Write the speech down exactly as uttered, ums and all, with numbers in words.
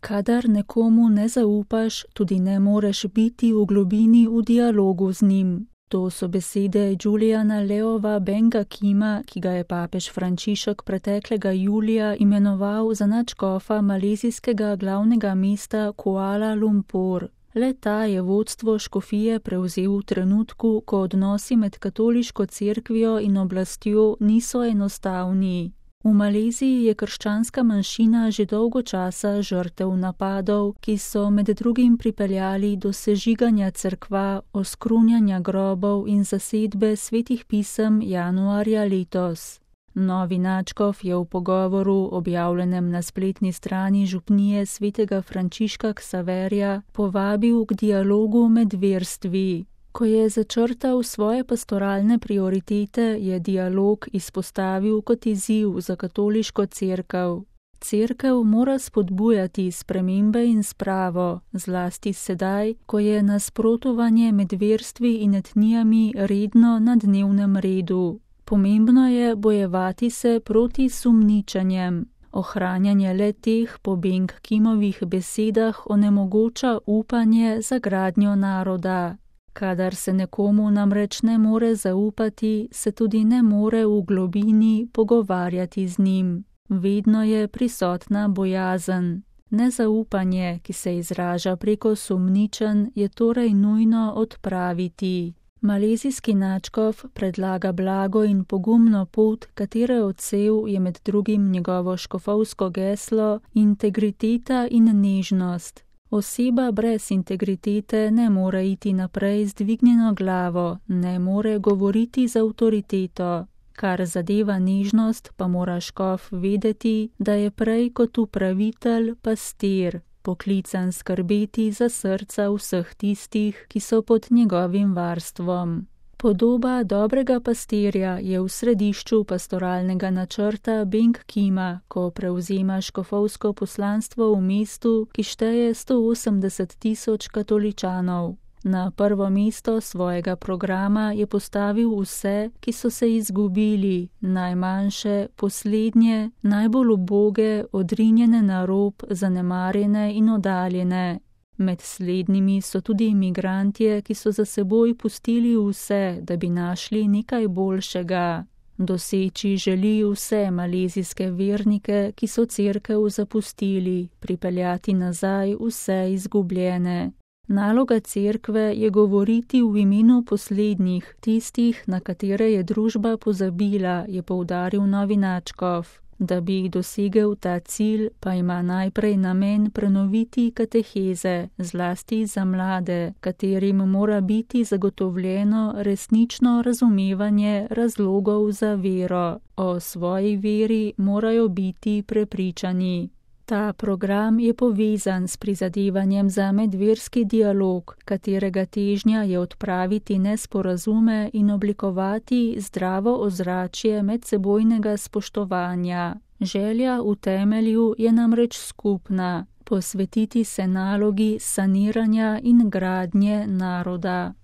Kadar nekomu ne zaupaš, tudi ne moreš biti v globini v dialogu z njim. To so besede Juliana Leova Benga Kima, ki ga je papež Frančišek preteklega julija imenoval za nadškofa malezijskega glavnega mesta Kuala Lumpur. Le ta je vodstvo škofije prevzel v trenutku, ko odnosi med katoliško cerkvijo in oblastjo niso enostavni. V Maleziji je krščanska manjšina že dolgo časa žrtev napadov, ki so med drugim pripeljali do sežiganja cerkva, oskrunjanja grobov in zasedbe svetih pisem januarja letos. Novi nadškof je v pogovoru, objavljenem na spletni strani župnije svetega Frančiška Ksaverja, povabil k dialogu med verstvi. Ko je začrtal svoje pastoralne prioritete, je dialog izpostavil kot izziv za katoliško cerkev. Cerkev mora spodbujati spremembe in spravo, zlasti sedaj, ko je nasprotovanje med verstvi in etnijami redno na dnevnem redu. Pomembno je bojevati se proti sumničenjem. Ohranjanje le teh po Beng Kimovih besedah onemogoča upanje za gradnjo naroda. Kadar se nekomu namreč ne more zaupati, se tudi ne more v globini pogovarjati z njim. Vedno je prisotna bojazen. Nezaupanje, ki se izraža preko sumničenj, je torej nujno odpraviti. Malezijski nadškof predlaga blago in pogumno pot, katere odsev je med drugim njegovo škofovsko geslo integriteta in nežnost. Oseba brez integritete ne more iti naprej z dvignjeno glavo, ne more govoriti z avtoriteto. Kar zadeva nežnost, pa mora škof vedeti, da je prej kot upravitelj pastir, poklican skrbeti za srca vseh tistih, ki so pod njegovim varstvom. Podoba dobrega pastirja je v središču pastoralnega načrta Beng Kima, ko prevzema škofovsko poslanstvo v mestu, ki šteje sto osemdeset tisoč katoličanov. Na prvo mesto svojega programa je postavil vse, ki so se izgubili, najmanjše, poslednje, najbolj uboge, odrinjene na rob, zanemarjene in oddaljene. Med slednjimi so tudi imigrantje, ki so za seboj pustili vse, da bi našli nekaj boljšega. Doseči želi vse malezijske vernike, ki so cerkev zapustili, pripeljati nazaj vse izgubljene. Naloga cerkve je govoriti v imenu poslednjih, tistih, na katere je družba pozabila, je poudaril novi nadškof. Da bi dosegel ta cilj, pa ima najprej namen prenoviti kateheze, zlasti za mlade, katerim mora biti zagotovljeno resnično razumevanje razlogov za vero. O svoji veri morajo biti prepričani. Ta program je povezan s prizadevanjem za medverski dialog, katerega težnja je odpraviti nesporazume in oblikovati zdravo ozračje medsebojnega spoštovanja. Želja v temelju je namreč skupna, posvetiti se nalogi saniranja in gradnje naroda.